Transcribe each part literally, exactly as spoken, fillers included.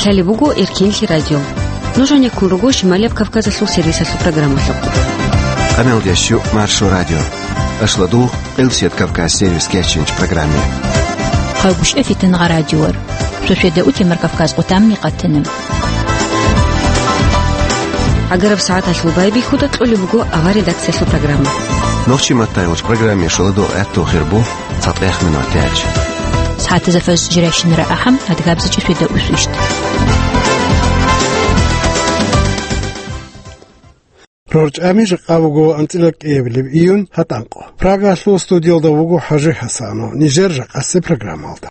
Лъалеб буго Эркинлъи радио. Нуж гьанеккун руго Шималияб Кавказалъул сервисалъул программалъухъ. Къамелдещу Маршо радио. Ашлодугъ, Къилсият Кавказ сервис кечинч программе. Хъагушев Фитнагъа радиор. Шошеда утемар Кавказ къутамни къатана. Агараб сагӀаталъул байбихьуда кьолеб буго авар редакциялъул программа. Нохчи маттайгъуч программе шоладо гӀатту хирбу. ЦатӀехмина тяч. СагӀатазда фажр жирайщинара ахӀам, адгабзачӀи шведа усвищт. РорчӀами жакъа буго анцӀила кӀиабилеб июнь гьатӀанкъо. Прагалъул студиялда вуго ХӀажи ХӀасанов. Нижер жакъасеб программалда.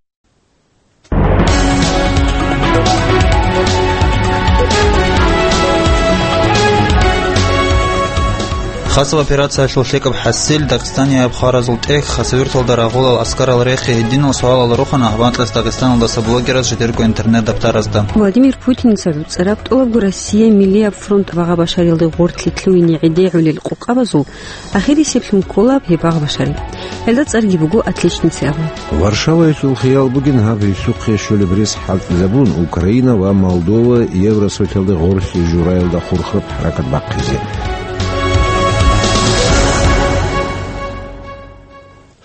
Хасаб операциялъул лъикӀаб хӀасил, Дагъистанияб хваразул тӀехь, хасавюрталда рагъулал аскарал рехи гьединал суалал рухъана гьабанкьас Дагъистаналдаса блогерас жидерго интернет-даптаразда. Владимир Путинца гӀуцӀараб тӀолабго Россия миллияб фронт багъа-башарилде гъорлъи лъугьине гӀедегӀулел къокъабазул ахирисеблъун ккола гьеб багъа-башари. Гьелда цӀарги буго «Отличница» абун. Варшаваялъул хиял бугин гьаб гьелъухъе щолеб рес хӀалтӀизабун, Украина ва Молдова Евросоюзалде гъорлъи жураялда хурхараб хӀаракат бахъизе.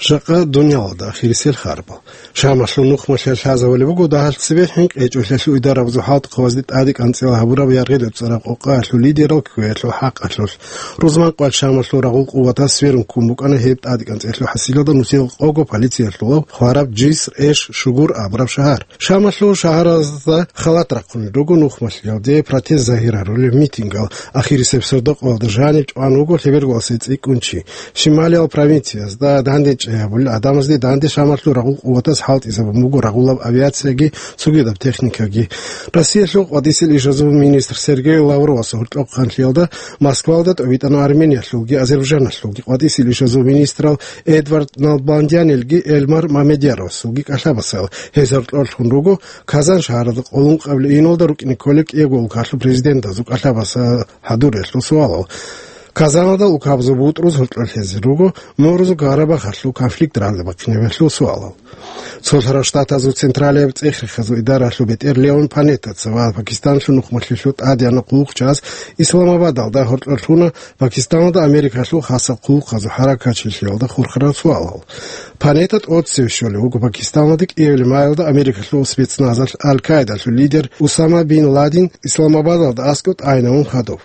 Жакъа дуниялалда ахирисел харбал. Шамалъул нухмалъе лъазабулеб буго дагьалъ цебе хӀинкъичӀолъиялъул идарабазул хӀалтӀухъабазде тӀаде кӀанцӀила гьабураб яргъи-реццараб къокъаялъул лидерал кквеялъул хӀакъалъулъ. Рузманкъоялъ Шамалъул рагъул къуватаз сверун ккун букӀана гьеб тӀаде кӀанцӀиялъул хӀасилалда нусиялда къого полициялъулав хвараб Джиср-эш-Шугур абураб шагьар. Шамалъул шагьаразда халат рахъунел руго нухмалъиялде протест загьир гьарулел митингал. Ахирисеб сордокъоялда жаниб чӀван вуго лъеберголасе цӀикӀкӀун чи. Шималиял провинциязда дандечӀей гьабулел гӀадамазде данде Шамалъул рагъул къуватаз хӀалтӀизабун буго рагъулаб авиацияги цогидаб техникаги. Россиялъул къватӀисел ишазул министр Сергей Лавровас гьоркьоб хъанлъиялда Москвалда тӀобитӀана Армениялъулги Азербайджаналъулги къватӀисел ишазул министрал Эдвард Налбандянилги Эльмар Мамедъяровасулги кӀалъабасал. Гьез гьоркьорлъун руго Казан шагьаралда къоло ункъабилеб июналда рукӀине кколеб кӀиябго улкалъул президентазул кӀалъабасал хӀадуриялъул суалал. Казаналда улкабазул бутӀрузул гьоркьор лъезе руго Мурзу-Карабахалъул конфликт рагӀда бахъинабиялъул суалал. Цолъарал Штатазул Централияб цӀех-рехазул идаралъул бетӀер Леон Панеттаца ва Пакистанлъул нухмалъилъул тӀадегӀанав хъулухъчияс Исламабадалда гьоркьор лъуна Пакистаналда Америкалъул хасаб хъулухъазул хӀаракатчилъиялда хурхарал суалал. Панетта тӀоцеве щолев вуго Пакистаналда кӀиабилеб майилда Америкалъул спецназалъ Аль-Каидалъул лидер Усама бин Ладен Исламабадалда аскӀоб тӀагӀинавун хадуб.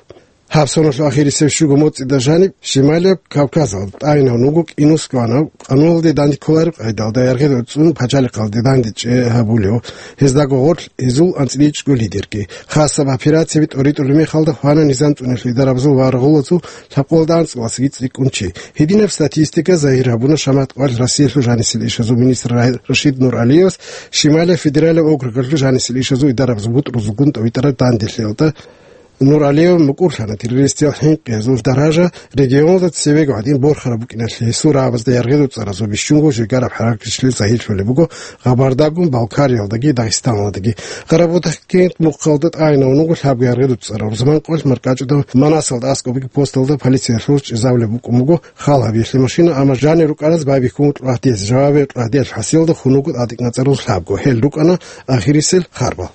Гьаб соналъул ахирисеб щуго моцӀида жаниб Шималияб Кавказалда тӀагӀинавун вуго кӀинусгоанав, къануналде данде кколареб къайдалда яргъи-реццун пачалихъалде дандечӀей гьабулев, гьездаго гъорлъ гьезул анцӀила ичӀго лидерги. Хасаб операцияби тӀоритӀулеб мехалда хвана низам цӀунулъул идарабазул ва рагъулазул лъабкъоялда анцӀго классги цӀикӀкӀун чи. Гьединаб статистика загьир гьабуна Шамат къоялъ Россиялъул жанисел ишазул министр Ра-, Рашид Нуралиевас Шималияб федералияб округалъул жанисел ишазул идарабазул бутӀрузулгун тӀобитӀараб данделъиялда. Нуралиев мукӀурлъана террористиял хӀинкъиязул даража регионалда цевего гӀадин борхараб букӀиналъе. Гьесул рагӀабазда яргъи-реццаразул бищунго жегараб хӀаракатчилъи загьирлъулеб буго Гъабардаго-Балкариялдаги Дагъистаналдаги. Къарабудагъкент мухъалда тӀагӀинавун вуго лъабго яргъи-реццарав рузман къоялъ маркӀачӀудав Манасалда аскӀобги посталда полициялъул чӀезабулеб букӀун буго хал гьабиялъе машина, амма жанир рукӀараз байбихьун кьвагьдезе, жавабе кьвагьдеялъул хӀасилалда хун вуго тӀадекӀнацӀарал лъабго. Гьел рукӀана ахирисел харбал.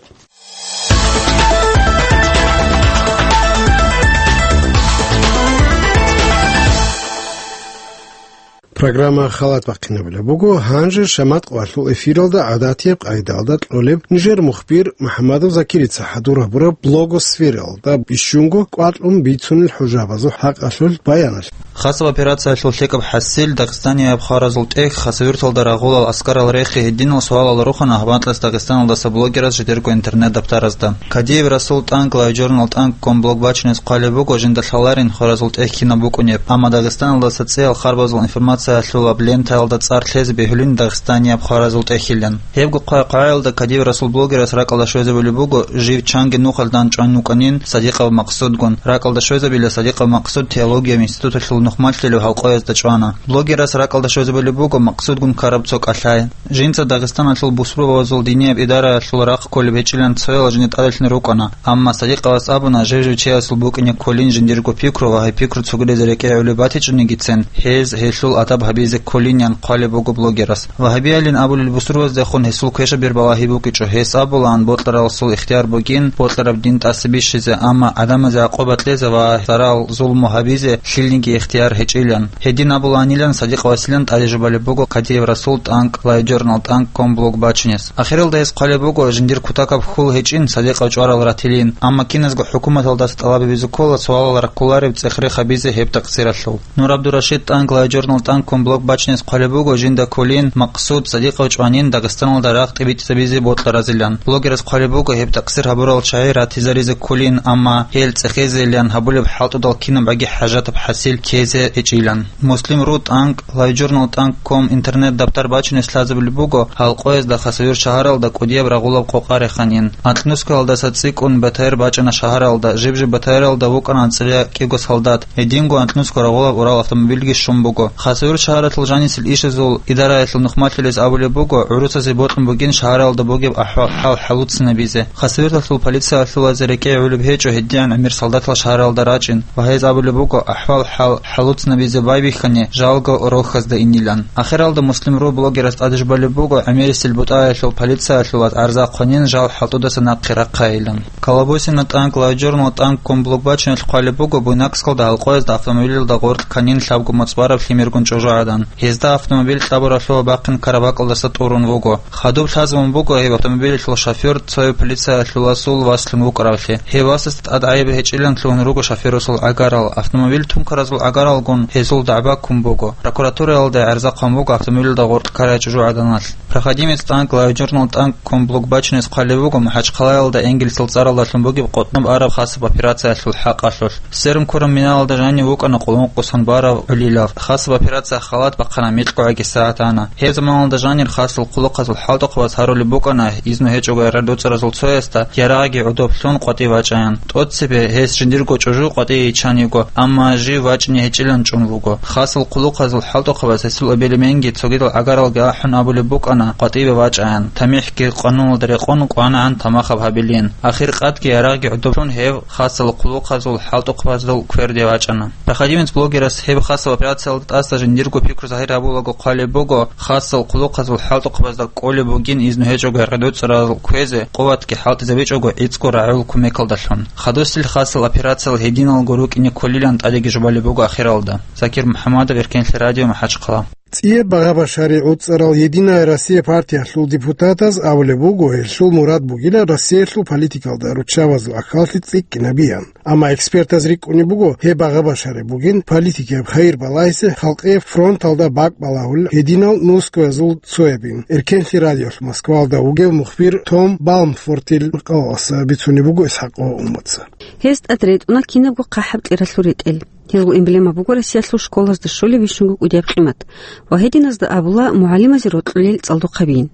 Программа халат бахъинабулеб буго. Гьанже Шамат къоялъул эфиралда гӀадатияб къайдалда кьолеб нижер мухбир МухӀаммадов Закирица хӀадур гьабураб блогосфералда бищунго кӀвакьун бицунел хӀужабазул хӀакъалъулъ баяналъ. Хасаб операциялъул лъикӀаб хӀасил, Дагъистанияб хваразул тӀехь, хасавюрталда рагъулал аскарал рехи гьединал суалал рухъана гьабанкьас Дагъистаналдаса блогерас жидерго интернет-даптаразда. Кадиев Расул тӀанкӀ LiveJournal тӀанкӀ ком блог бачине хъвалеб буго жинда лъаларин хваразул тӀехь кинаб букӀунеб, амма Дагъистаналдаса цӀеял харбазул информациялъулаб лентаялда цӀар лъезе бегьулин Дагъистанияб хваразул тӀехьилан. Гьебго хъвай-хъваялда Кадиев Расул блогерас ракӀалда щвезабулеб буго, жив чанги нухалъ дандчӀван вукӀанин Садикъов Максудгун. РакӀалда щвезабила Садикъов Максуд теологияб институталъул нухмалъилев гьалкъоязда чӀвана. Блогерас ракӀалда щвезабулеб буго макъсудгун ккараб цо кӀалъай. Жинца Дагъистаналъул бусурбабазул динияб идараялъул рахъ кколеб гьечӀилан цоял жинда тӀаделъун рукӀана, амма Садикъовас абуна, жив-жив чиясул букӀине кколин жиндирго пикру ва гьеб пикру цогидаз рекӀее гӀолеб батичӀонигицин, гьез гьелъул адаб гьабизе кколинин хъвалеб буго блогерас. Вагьабиялин абулел бусурбаздехун гьесул квешаб бер балагьи букӀичӀо, гьес абулаан бокьараласул ихтияр бугин бокьараб дин тӀаса бищизе, амма гӀадамазе гӀакъуба кьезе ва зарал-зулму гьабизе лъилниги ихтияр гьечӀилан. Гьедин абулаанилан Садикъовасилан тӀаде жубалеб буго Кадиев Расул тӀанкӀ лайв-журнал тӀанкӀ ком блог бачунес. Ахиралда гьес хъвалеб буго жиндир кутакаб хьул гьечӀин Садикъов чӀварал ратилин, амма киназго хӀукуматалдаса тӀалаб гьабизе ккола суалал раккулареб цӀех-рех гьабизе гьеб такъсиралъул. Нур ГӀабдурашид тӀанкӀ лайв-журнал тӀанкӀ ком блог бачунес хъвалеб буго жинда кколин макъсуд Садикъов чӀванин Дагъистаналда рагъ тӀибитӀизабизе бокьаразилан. Блогерас хъвалеб буго гьеб такъсир гьабурал чагӀи ратизаризе кколин, амма гьел цӀехезейилан гьабулеб хӀалтӀудал кинаб баги хӀажатаб хӀасил ккезе гьечӀилан. Муслим.ру тӀанкӀ лайв-журнал тӀанкӀ ком интернет-даптар бачунес лъазабулеб буго гьалкъоязда Хасавюрт шагьаралда кӀудияб рагъулаб къокъа реханин. Анкьнускалдаса цӀикӀкӀун БТР бачӀана шагьаралда, жиб-жиб БТРалда вукӀана анцӀила кӀиго солдат. Гьединго анкьнусго рагъулаб Урал автомобильги щун буго. Хасавюрт шагьаралъул жанисел ишазул идараялъул нухмалъилес абулеб буго, гӀурусазе бокьун бугин шагьаралда бугеб ахӀвал-хӀал хӀалуцинабизе. Хасавюрталъул полициялъулазе рекӀее гӀолеб гьечӀо гьедигӀан гӀемер солдатал шагьаралда рачӀин ва гьез абулеб буго ахӀвал-хӀал хӀалуцинабизе байбихьани жалго рохьазда инилан. Ахиралда Муслим.ру блогерас тӀаде жубалеб буго гӀемерисел бутӀаялъул полициялъулаз гӀарза хъванин жал хӀалтӀудаса нахъе рахъайилан. Колобосина тӀанкӀ лайв-журнал тӀанкӀ ком блог бачунелъ хъвалеб буго Буйнакскалда гьалкъоязда автомобилалда гъоркь кканин лъабго моцӀ бараб лъимергун чӀужугӀадан. Гьезда автомобиль кьабуралъула бахъин карабакӀалдаса тӀурун вуго. Хадуб лъазабун буго гьеб автомобилалъул шофер цояб полициялъуласул васлъун вукӀаравлъи. Гьев васасда тӀад гӀайиб гьечӀилан лъугьун руго шоферасул гӀагарал. Автомобиль тункаразул гӀагаралгун гьезул дагӀба ккун буго. Прокуратураялда гӀарза хъван буго автомобилалда гъоркь ккарай чӀужугӀаданалъ. Проходимец тӀанкӀ лайв-журнал тӀанкӀ ком блог бачунес хъвалеб буго МахӀачхъалаялда энгельсил цӀаралдалъун бугеб къотӀноб араб хасаб операциялъул хӀакъалъулъ. Сверун ккураб миналалда жанив вукӀана къулмукъусан барав гӀолилав. Хасаб операция халат бахъана, микьгӀаги сагӀат ана. Гьеб заманалда жанир хасал хъулухъазул хӀалтӀухъабаз гьарулеб букӀана, изну гьечӀого гӀердуцӀаразул цоясда ярагъги гӀодоб лъун къватӀив вачӀаян. ТӀоцебе гьес жиндирго чӀужу къватӀие йиччан йиго, амма жив вачӀине гьечӀилан чӀун вуго. Хасал хъулухъазул хӀалтӀухъабаз гьесул эбел-эменги цогидал гӀагаралги ахӀун абулеб букӀана къватӀиве вачӀаян, тамихӀги къануналда рекъон кӀванагӀан тамахаб гьабилин. Ахир къадги ярагъги гӀодоб лъун гьев хасал хъулухъазул хӀалтӀухъабазул кверде вачӀана. Проходимец блогерас гьеб хасаб операциялда тӀаса жиндирго пикру загьир гьабулаго хъвалеб буго, хасал хъулухъазул хӀалтӀухъабазда кӀолеб бугин изну гьечӀого гӀердуцӀарал кквезе, къуватги хӀалтӀизабичӀого гӀицӀго рагӀул кумекалдалъун. Хадусил хасал операциялъ гьединалго рукӀине кколилан тӀадеги жубалеб буго ахиралда. Закир МухӀамадов, Эркенлъи радио, МахӀачхъала. ЦӀияб багъа-башари гӀуцӀарал «Единая Россия» партиялъул депутатаз абулеб буго, гьелъул мурад бугила Россиялъул политикалда руччабазул гӀахьаллъи цӀикӀкӀинабиян. Амма экспертаз рикӀкӀунеб буго, гьеб багъа-башари бугин политикияб хайир балагьизе халкъияб фронталда бакӀ балагьулел гьединал нускоязул цоябин. Эркенлъи радиолъ Москвалда вугев мухбир Том Балмфортил къавгъаса бицунеб буго ИсхӀакъ Умаца. Гьез тӀад ретӀуна кинабго хъахӀаб кьералъул ретӀел. Гьелгун эмблема буго Россиялъул школазда щолеб бищунго кӀудияб къимат ва гьединазда абула мугӀалимазе рокьулел цӀалдохъабийин.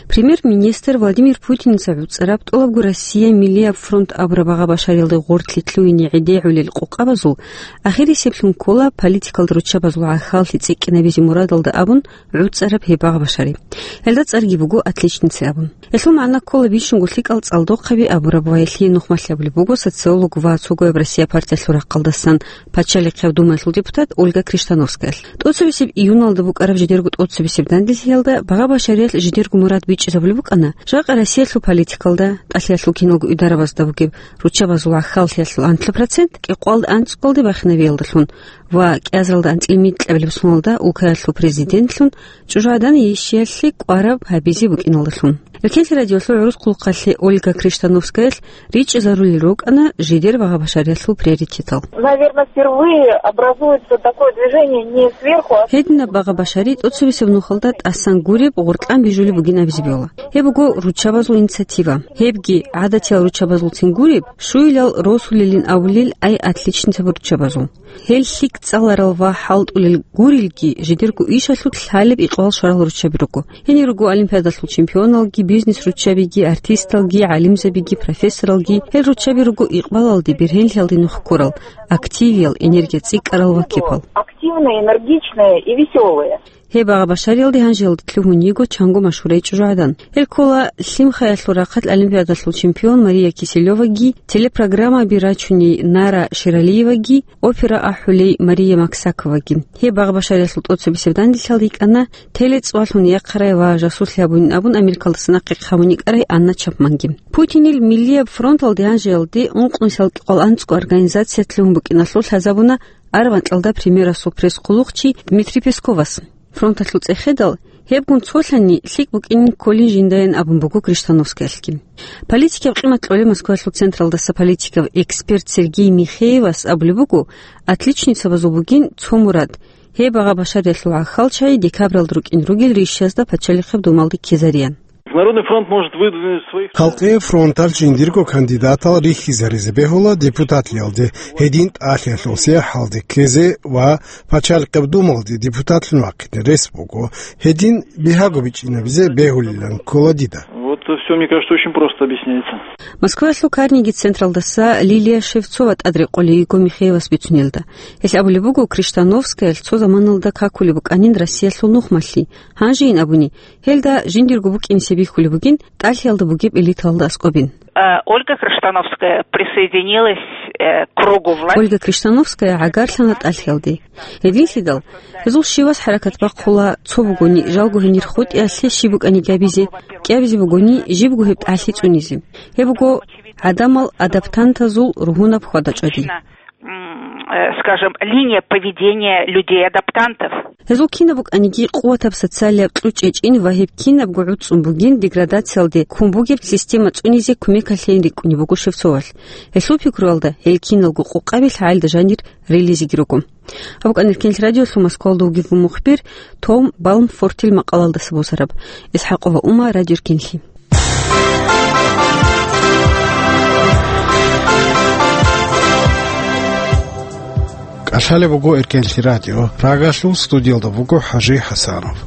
Премьер-министр Владимир Путиница гӀуцӀараб тӀолабго Россия миллияб фронт абураб багъа-башариялда гъортлъи лъугьине гӀедегӀулел къокъабазул ахирисеблъун ккола политикалда руччабазул гӀахьаллъи цӀикӀкӀинабизе мурадалда абун гӀуцӀараб гьеб багъа-башари. Гьелда цӀарги буго «Отличница» абун. Гьелъул магӀна ккола бищунго лъикӀал цӀалдохъаби абураб ва гьелъие нухмалъи абулеб буго социолог ва цогояб Россия партиялъул рахъалдасан Пачалихъеб Думаялъул депутат Ольга Криштановскаялъ. ТӀоцебесеб июналда букӀараб жидерго тӀоцебесеб данделъиялда багъа-башариялъ жидерго мурад бичӀчӀизабулеб букӀана, жакъа Россиялъул политикалда, тӀалъиялъул киналго идарабазда бугеб руччабазул гӀахьаллъиялъул анлъго процент кӀикъоялда анцӀкъоялде бахинабиялдалъун ва кӀиазаралда анцӀила микьабилеб соналда улкаялъул президентлъун ЧӀужугӀадан йишиялъе кӀвараб гьабизе букӀиналдалъун. Эркенлъи радиолъул гӀурус хъулухъалъе Ольга Криштановскаялъ ричӀчӀизарулел рукӀана жидер багъа-башариялъул приоритетал. Наверное, впервые образуется такое движение не сверху, а... Гьединаб багъа-башари тӀоцебесеб нухалда тӀасан гуреб, гъоркьан бижулеб бугин абизе бегьула. Гьеб буго руччабазул инициатива. Гьебги гӀадатиял руччабазулцин гуреб, щуилал росулелин абулел ай отличницаб руччабазул. Гьел лъикӀ цӀаларал ва хӀалтӀулел гурелги, жидерго ишалъулъ лъалеб икъбал щварал руччаби руго. Гьенир руго олимпиадалъул чемпионалги, бизнес-руччабиги, артисталги, гӀалимзабиги, профессоралги. Гьел руччаби руго икъбалалде, бергьенлъиялде нух ккурал, активиял, энергия цӀикӀкӀарал ва кепал. Активные, энергичные и весёлые. Гьеб агъа башариялде гьанжеялде лъугьун йиго чанго машгьурай чӀужугӀадан. Гьел ккола Лъимхаялъул рахъалъ олимпиадалъул чемпион Мария Киселеваги, телепрограммаби рачуней Нара Шералиеваги, опера ахӀулей Мария Максаковаги. Гьеб агъа башариялъул тӀоцебесеб данделъиялда йикӀана телецӀвалъун яхъарай ва жасуслъи гьабунин абун Америкалдаса нахъе хъамун йикӀарай Анна Чапманги. Путинил Миллияб фронталде гьанжеялде ункънусиялда кӀикъоялда анцӀго организация лъугьун букӀиналъул лъазабуна Арванкьалда премьерасул пресс-хъулухъчи Дмитрий Песковас. Фронталъул цӀехедал, гьебгун цолъани лъикӀ букӀинин кколин жиндаян абун буго Крыштановскаялъги. Политикияб къимат кьолеб Москваялъул централдаса политикав эксперт Сергей Михеевас абулеб буго, отличницабазул бугин цо мурад: гьеб агъа башариялъул гӀахьалчагӀи декабралда рукӀин ругел ришазда пачалихъеб думалде ккезариян. Народный фронт может выдвинуть своих... Халкъие фронталъ жиндирго кандидатал рихьизаризе бегьула депутатлъиялде, гьедин тӀалъиялъул сахӀалде ккезе ва пачалихъеб думалде депутатлъун вахъине рес буго. Гьедин бигьаго бичӀчӀинабизе бегьулилан ккола дида. Вот всё, мне кажется, очень просто объясняется. Москваялъул Карнеги централдаса Лилия Шевцова тӀадрекъолей йиго Михеевас бицунелда. Гьелъ абулеб буго, Крыштановскаялъ цо заманалда какулеб букӀанин Россиялъул нухмалъи. Гьанжейин абуни, гьелда жиндирго букӀинисе бихьулеб бугин тӀалъиялда бугеб элиталда аскӀобин. Э, Ольга Крыштановская присоединилась, э, к кругу власти. Ольга Крыштановская гӀагарлъана тӀалъиялде. Гьединлъидал, гьезул щивас хӀаракат бахъула, цо бугони, жалго гьенир хутӀиялъе щиб букӀани гьабизе, кӀиабизе бугони, жибго гьеб тӀалъи цӀунизе. Гьеб буго гӀадамал адаптантазул ругьунаб хьвада-чӀвади. М, э, скажем, линия поведения людей-адаптантов. Гьезул кинаб букӀаниги къуватаб социалияб кьучӀ чӀечӀин ва гьеб кинабго гӀуцӀцӀун бугин деградациялде ккун бугеб система цӀунизе кумекалъейин рикӀкӀунеб буго Шевцовалъ. Гьелъул пикруялда, гьел киналго къокъаби лъагӀелда жанир релизеги руго. Гьаб букӀана Эркенлъи радиолъул Москвалда вугев мухбир Том Балмфортил макъалалдаса босараб. ИсхӀакъова Ума, Радио Эркенлъи. КӀалъалеб буго Эркенлъи радио. Прагалъул студиялда буго ХӀажи ХӀасанов.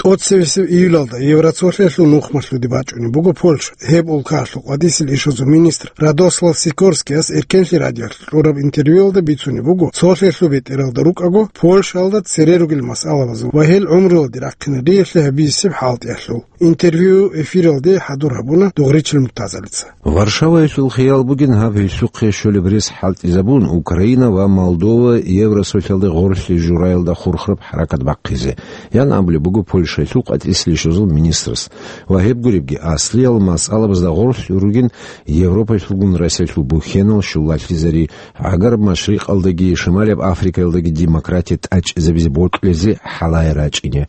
ТӀоцебесеб июлалда Евроцолъиялъул нухмалъуде бачӀунеб буго Польша. Гьеб улкаялъул къватӀисел ишазул министр Радослав Сикорскияс Эркенлъи радиоялъ кьураб интервьюялда бицунеб буго, цолъиялъул бетӀералда рукӀаго, Польшаялда цере ругел масъалабазул ва гьел гӀумруялде рахъинариялъе гьабизесеб хӀалтӀиялъул. Интервью эфиралде хӀадур гьабуна Дугъричил Муртазалица. Варшаваялъул хиял бугин гьаб гьелъухъе щолеб рес хӀалтӀизабун, Украина ва Молдова Евросолъиялде гъорлъе жураялда хурхараб хӀаракат бахъизе, ян абулеб буго Польшаялъул къватӀисел ишазул министрас. Ва гьеб гуребги, аслиял масъалабазда гъорлъ ругин Европаялъулгун Россиялъул бухьенал щулалъизари, ГӀагараб Машрикъалдаги Шималияб Африкаялдаги демократия тӀачӀизабизе бокьулезе хӀалае рачӀине.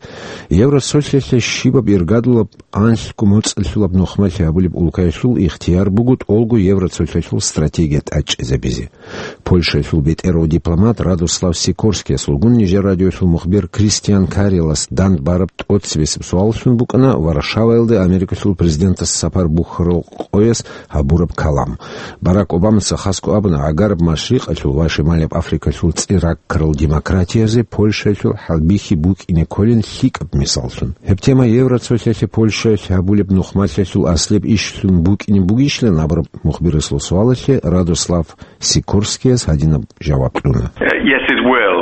Евросолъиялъе щибаб иргадулаб анлъго моцӀалъулаб нухмалъи гьабулеб улкаялъул ихтияр буго тӀолго Евроцолъиялъул стратегия тӀачӀизабизе. Польшаялъул бетӀерав дипломат Радослав Сикорскиясулгун нижер радиоялъул мухбир Кристиан Карелас дандбараб тӀоцебесеб суаллъун букӀана Варшаваялда Америкалъул президентас сапар бухьарал къоялъ гьабураб калам. Барак Обамаца хасго абуна, ГӀагараб Машрикъалъул ва Шималияб Африкалъул цӀи раккарал демократиязе Польшаялъул хӀалбихьи букӀине кколин лъикӀаб мисаллъун. Гьеб тема Евроцолъиялъе Польшаялъ гьабулеб нухмалъиялъул аслияб ишлъун букӀине бугищилан абураб мухбирасул суалалъе Радослав Сикорскияс гьадинаб жаваб кьуна. Uh, yes, it will.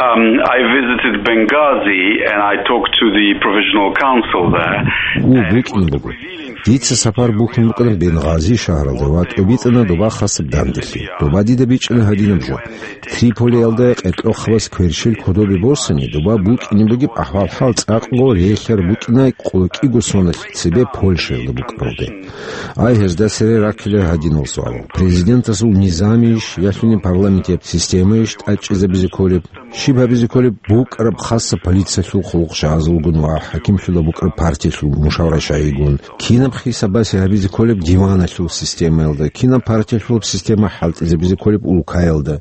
Um, I visited Benghazi and I talked to the provisional council there. Гьу, букӀине буго. Дица сапар бухьун букӀана Бенгъази шагьаралда ва тӀобитӀана доба хасаб данделъи. Доба дида бичӀчӀана гьадинаб жо: Триполиялда къеркьохъабаз кверщел кодобе босани, доба букӀине бугеб ахӀвал-хӀал цӀакъго релълъараб букӀина къоло кӀиго соналъ цебе Польшаялда букӀаралде. Ай, гьезда цере раккила гьадинал суал: президентасул низамийищ, ялъуни парламентияб системайищ тӀачӀизабизе кколеб? Щиб гьабизе кколеб букӀараб хасаб полициялъул хъулухъ жагьазулгун ва хӀакимлъула букӀараб партиялъул мушавра-шагьигун? Кина кинаб хисабасе гьабизе кколеб диваналъул системаялда, кинаб партиялъулаб система хӀалтӀизабизе кколеб улкаялда,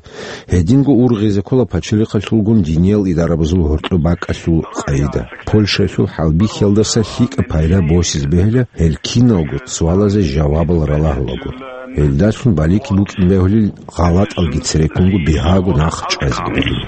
гьединго ургъизе ккола пачалихъалъулгун диниял идарабазул гьоркьоб бакӀалъул къайда. Польшаялъул хӀалбихьиялдаса лъикӀаб пайда босизе бегьила гьел киналго суалазе жавабал ралагьулаго. Гьелдалъун балики букӀин бегьулел гъалатӀалги цереккунго бигьаго нахъ чӀвазеги бегьула.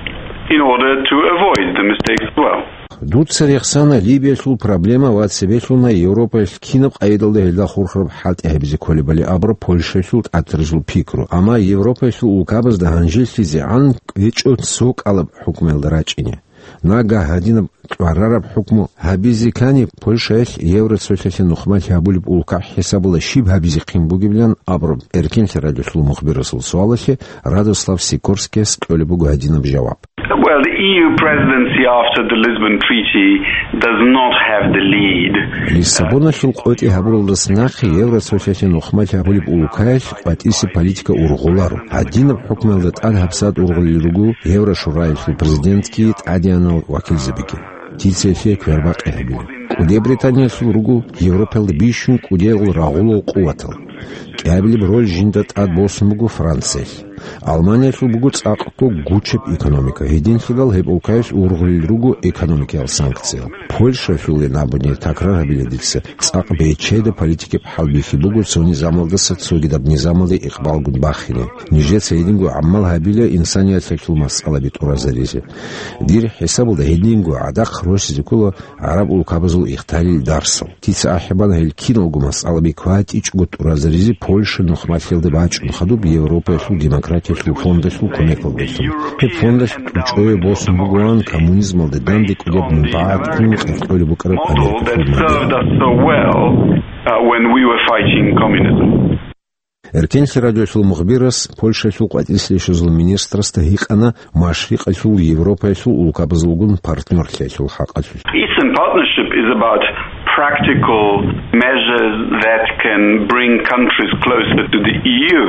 In order to avoid the mistakes as well. Дуца рехсана Либиялъул проблема ва цебелъуна Европаялъ кинаб къайдалда гьелда хурхараб хӀалтӀи гьабизе кколебали абураб Польшаялъул тӀатарзул пикру, амма Европаялъул улкабазда гьанжелъизегӀан кӀвечӀо цо кӀалаб хӀукмуялда рачӀине. Нагагь гьадинаб кьварараб хӀукму гьабизе ккани, Польшаялъ Евроцолъалъе нухмалъи гьабулеб улкаб хӀисабалда щиб гьабизехъин бугебилан абураб эркенлъи радиолъул мухбирасул суалалъе Радослав Сикорскияс кьолеб буго гьадинаб жаваб. Well, the E U presidency after the Lisbon Treaty does not have the lead. Лиссабоналъул къотӀи гьабуралдаса нахъе Евроцолъалъе нухмалъи гьабулеб улкаялъ къватӀисе политика ургъуларо. Гьадинаб хӀукмуялда тӀад гьабсагӀат ургъулел руго Еврошураялъул президентги тӀадеянал вакилзабиги. Дица гьелъие квербакъи гьабила. КӀуди Британиялъул руго Европаялда бищун кӀудиял рагъулал къуватал. КӀиабилеб роль жинда тӀад босун буго Франциялъ. Алманиялъул буго цӀакъго гучеб экономика. Гьединлъидал гьеб улкаялъ ургъулел руго экономикиял санкциял. Польшаялъулин абуни, такрар гьабила дица, цӀакъ бечеда политикияб хӀалбихьи буго цо низамалдаса цогидаб низамалде икъбалгун бахине. Нижеца гьединго гӀамал гьабила инсанияталъул масъалаби тӀуразаризе. Дир хӀисабалда гьединго гӀадахъ росизе ккола гӀараб улкабазул ихталил дарсал. Дица ахӀи бана гьел киналго масъалаби кватӀичӀого тӀуразаризе Польша нухмалъиялда бачӀун хадуб Европаялъул демократиялъул фондалъул кумекалдалъун. Гьеб фондалъ тӀучӀеве босун бугоан коммунизмалда данде кӀудияб мунпагӀат ккун къеркьолеб букӀараб Америкалъул модель. Served us so well, uh, when we were fighting communism. Эркенлъи радиолъул мухбирас Польшаялъул къватӀислъи щвезул министрасда гьикъана Машрикъалъул Европаялъул улкабазулгун партнерлъиялъул хӀакъалъулъ. Eastern Partnership is about practical measures that can bring countries closer to the E U.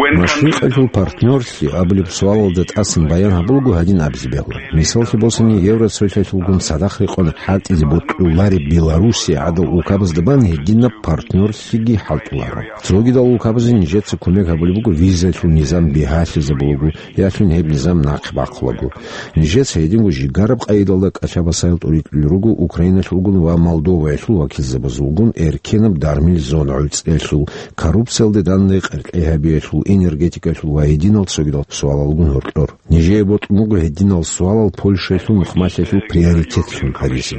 When countries Машрикъалъул партнерлъи абулеб суалалда тӀасан баян гьабулаго гьадин абизе бегьула. Мисаллъи босани, Евроцолъалъулгун цадахъ рекъон хӀалтӀизе бокьулареб Белоруссия гӀадал улкабазда бан гьединаб партнерлъиги хӀалтӀуларо. Цогидал улкабазе нижеца кумек гьабулеб буго визаялъул низам бигьалъизабулаго, ялъун гьеб низам нахъе бахъулаго. Нижеца гьединго жигараб къайдалда кӀалъабасаял тӀуритӀулел руго Украиналъулгун ва Молдоваялъул вакилзабазулгун эркенаб дармил зон гӀуцӀиялъул, коррупциялде данде къеркьей гьабиялъул, энергетикаялъул ва гьединал цогидал суалалгун гьоркьор. Нижее бокьун буго гьединал суалал Польшаялъул нухмалъиялъул приоритетлъун гьаризе.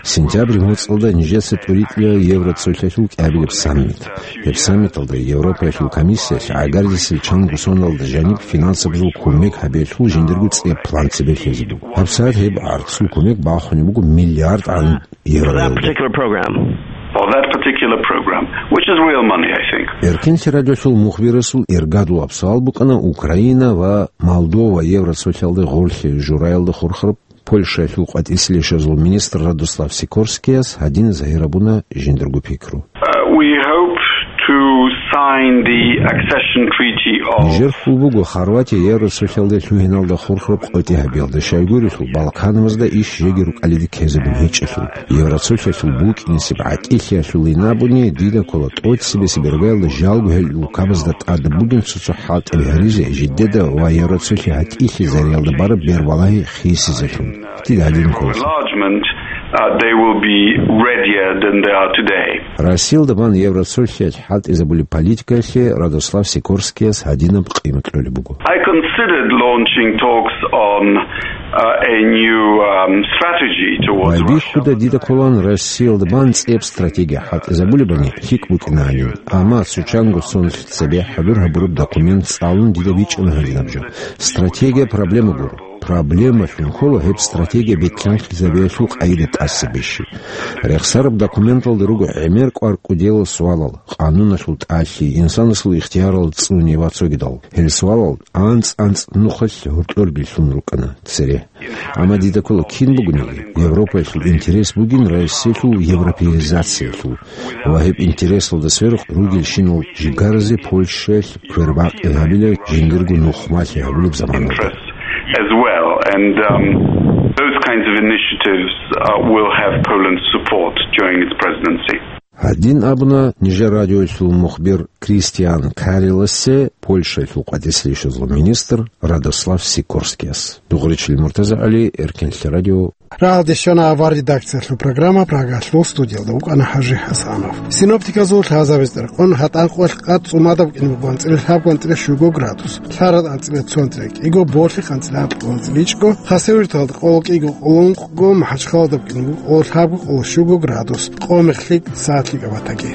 Сентябрь моцӀалда нижеца тӀуритӀила Евроцолъалъул кӀиабилеб саммит. Гьеб саммиталда Европаялъул комиссиялъ гӀагарлъисел чанго соналда жаниб финансабазул кумек гьабиялъул жиндирго цӀеб план цебе лъезе буго. ГьабсагӀат гьеб гӀарцул кумек бахунеб буго миллиардгӀан евроялда. Particular program. Or that particular program, which is real money, I think. Эркенлъи радиолъул мухбирасул иргадулаб суал букӀана Украина ва Молдова Евроцолъалда гъорлъи жураялда хурхараб Польшаялъул къватӀислъи щвезул министр Радослав Сикорскияс гьадин загьирабуна жиндирго пикру. Uh, we hope to sign the accession treaty of Нижер хьул буго Хорватия Евроцолъалда лъугьиналда хурхараб къотӀи гьабиялда, щайгурелъул Балканабазда иш жеги рукӀалиде ккезабун гьечӀелъул. Евроцолъалъул букӀинесеб гӀатӀилъиялъулин абуни, дида ккола тӀоцебесеб иргаялда жалго гьел улкабазда тӀад бугин цо-цо хӀалтӀи гьаризе, жидеда ва Евроцолъи гьатӀилъизариялда бараб бербалагьи хисизелъун. Дида гьадин ккола. Enlargement, uh, they will be readier than they are today. Россиялда бан Евроцолъиялъ хӀалтӀизабулеб политикаялъе Радослав Сикорскияс гьадинаб къимат кьолеб буго. I considered launching talks on, uh, a new, um, strategy towards Russia. Байбихьуда дида кколаан Россиялда бан цӀеб стратегия хӀалтӀизабулебани лъикӀ букӀинанин, амма цо чанго сонлъ цебе хӀадур гьабураб документ цӀалун дида бичӀчӀана гьадинаб жо. Стратегия проблема гуро. Проблемалъун ккола гьеб стратегия бетӀлъанхъизабиялъул къайда тӀаса бищи. Рехсараб документалда руго гӀемер кӀвар кӀудиял суалал, къануналъул тӀалъи, инсанасул ихтиярал цӀуни ва цогидал. Гьел суалал анцӀ-анцӀ нухалъ гьоркьор билълъун рукӀана цере. Амма дида ккола кин бугониги, Европаялъул интерес бугин Россиялъул европеизациялъул. Ва гьеб интересалда сверухъ ругелщинал жигаразе Польшаялъ квербакъи гьабила жиндирго нухмалъи гьабулеб заманалда. As well, and, um, those kinds of initiatives, uh, will have Poland's support during its presidency. Гьадин абуна нижер радиоялъул мухбир Кристиан Кареласе Польшаялъул къватӀислъи ишазул министр Радослав Сикорскияс. Дугъричилин МуртазагӀали, Эркенлъи радио. Рагьалде щвана авар редакциялъул программа, Прагалъул студиялда вукӀана ХӀажи ХӀасанов. Синоптиказул лъазабиз тӀеркъун гьатӀан къоялъ къад цӀумадаб кӀин буго анцӀила лъабго анцӀила щуго градус, лъарал анцӀила цо анцӀила кӀиго, борлъихъ анцӀила анкьго анцӀила ичӀго, хасавюрталда къоло кӀиго къоло ункъго, МахӀачхъаладаб кӀин буго къоло лъабго къоло щуго градус, къомихъ лъикӀ сагӀат лъикӀаб батаги.